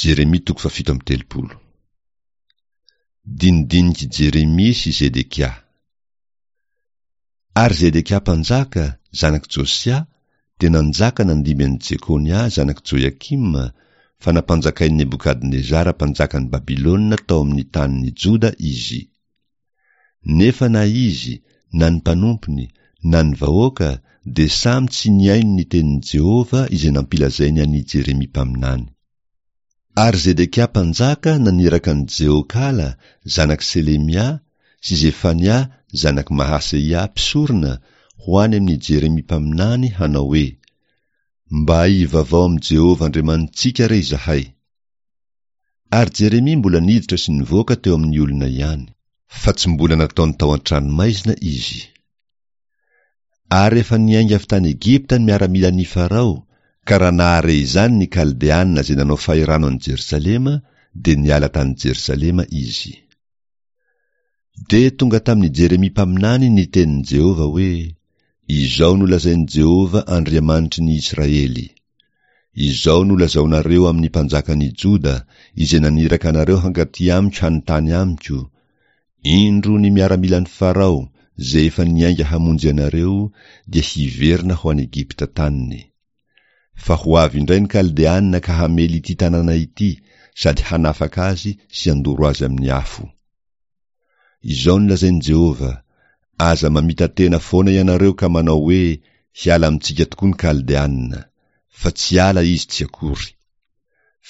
Jeremia toko fahafito amby telopolo. Dinidinik'i Jeremia sy Zedekia. Ary Zedekia mpanjaka, zanak'i Josia, dia nanjaka nandimby an'i Jekonia zanak'i Joiakima, fa nampanjakain'i Nebokadnezara mpanjakan'i Babylona tao amin'ny tanin'i Joda izy. Nefa na izy, na ny mpanompony, na ny vahoaka dia samy tsy nihaino ny tenin'i Jehovah izay nampilazainy an'i Jeremia mpaminany. Ary Zedekia mpanjaka naniraka an'i Jehokala, zanak'i Selemia, sy Zefania, zanak'i Mahaseia, mpisorona, ho any amin'i Jeremia mpaminany hanao hoe, Mba hivavao amin'i Jehovah Andriamanitsika re izahay. Ary Jeremia mbola niditra sy nivoaka teo amin'ny olona ihany. Fa tsy mbola nataony tao an-tranomaizina izy. Ary efa niainga avy tany Egypta ny miaramilan'i Farao, ka raha nahare izany ny Kaldeana izay nanao fahirano an'i Jerosalema, dia niala tany Jerosalema izy. Dia tonga tamin'i Jeremia mpaminany ny tenin'i Jehovah hoe, Izao no lazain'i Jehovah Andriamanitry ny Israely, Izao no lazaonareo amin'ny mpanjakan'i Joda, izay naniraka anareo hankaty amiko hanontany amiko, Indro ny miaramilan'i Farao, izay efa niainga hamonjy anareo, dia hiverina ho any Egypta taniny. Fa ho avy indray ny Kaldeana ka hamely ity tanàna ity sady hanafaka azy sy handoro azy amin'ny afo. Izao no lazain'i Jehovah, Aza mamita-tena foana ianareo ka manao hoe, 'Hiala amintsika tokoa ny Kaldeana. Fa tsy hiala izy tsy akory.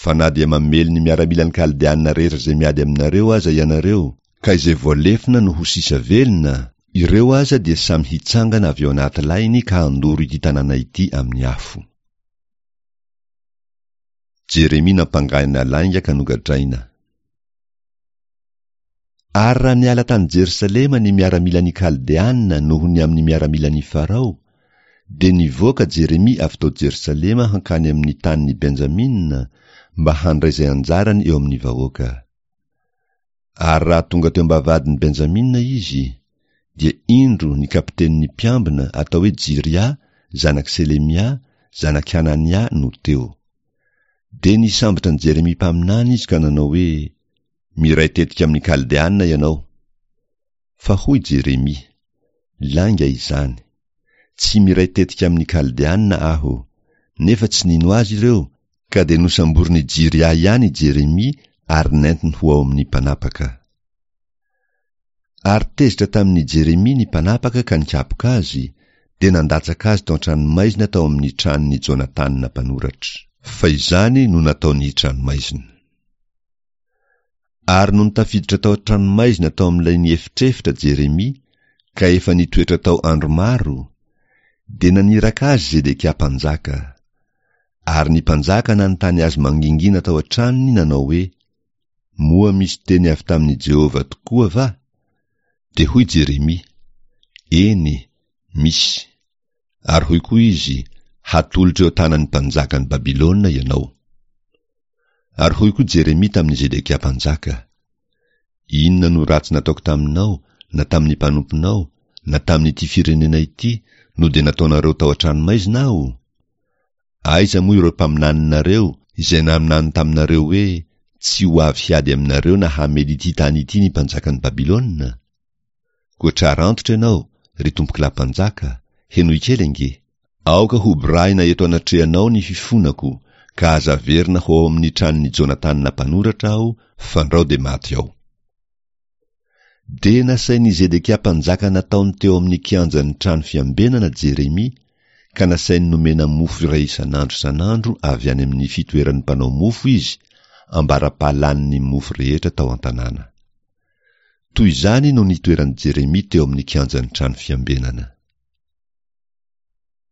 Fa na dia mamely ny miaramilan'ny Kaldeana rehetra izay miady aminareo aza ianareo, ka izay voalefona no ho sisa velona, ireo aza dia samy hitsangana avy ao anaty lainy ka handoro ity tanàna ity amin'ny afo. Jeremia nampangaina lainga ka nogadraina. Ary raha niala tany Jerosalema ny miaramilan'ny Kaldeana noho ny amin'ny miaramilan'i Farao, dia nivoaka Jeremia avy tao Jerosalema hankany amin'ny tanin'i Benjamina mba handray izay anjarany eo amin'ny vahoaka. Ary raha tonga teo am-bavahadin'i Benjamina izy, dia indro ny kapitenin'ny mpiambina atao hoe Jiria, zanak'i Selemia, zanak'i Hanania no teo. Dia nisambotra an'i Jeremia mpaminany izy ka nanao hoe, Miray tetika amin'ny Kaldeana ianao. Fa hoy Jeremia, Lainga izany. Tsy miray tetika amin'ny Kaldeana aho. Nefa tsy nino azy ireo, ka dia nosamborin'i Jiria ihany i Jeremia ary nentiny ho ao amin'ny mpanapaka. Ary tezitra tamin'i Jeremia ny mpanapaka ka nikapoka azy, dia nandatsaka azy tao an-tranomaizina tao amin'ny tranon'i Jonatana mpanoratra. Fa izany no nataony tranomaizina. Ary nony tafiditra tao an-tranomaizina tao amin'ilay niefitrefitra Jeremia, ka efa nitoetra tao andro maro, dia naniraka azy Zedekia mpanjaka. Ary ny mpanjaka nanontany azy mangingina tao an-tranony nanao hoe, Moa misy teny avy tamin'i Jehovah tokoa va? Dia hoy Jeremia, Eny, misy. Ary hoy koa izy, Hatolotro eo an-tanan'ny mpanjakan'i Babylona ianao. Ary hoy koa Jeremia tamin'i Zedekia mpanjaka, Inona no ratsy nataoko taminao, na tamin'ny mpanomponao, na tamin'ity firenena ity, no dia nataonareo tao an-tranomaizina aho? Aiza moa ireo mpaminaninareo, izay naminany taminareo hoe, Tsy ho avy hiady aminareo na hamely ity tany ity ny mpanjakan'i Babylona? Koa trara antitra ianao, ry tompokolahy mpanjaka, henoy kely ange! Aoka hoborahina eto anatrehanao ny fifonako, ka aza averina ho ao amin'ny tranon'i Jonatana mpanoratra aho, fandrao dia maty ao. Dia nasain'i Zedekia mpanjaka nataony teo amin'ny kianjan'ny trano fiambenana Jeremia, ka nasainy nomena mofo iray isan'andro isan'andro avy any amin'ny fitoeran'ny mpanao mofo izy, ambara-pahalanin'ny mofo rehetra tao an-tanàna. Toy izany no nitoeran'i Jeremia teo amin'ny kianjan'ny trano fiambenana.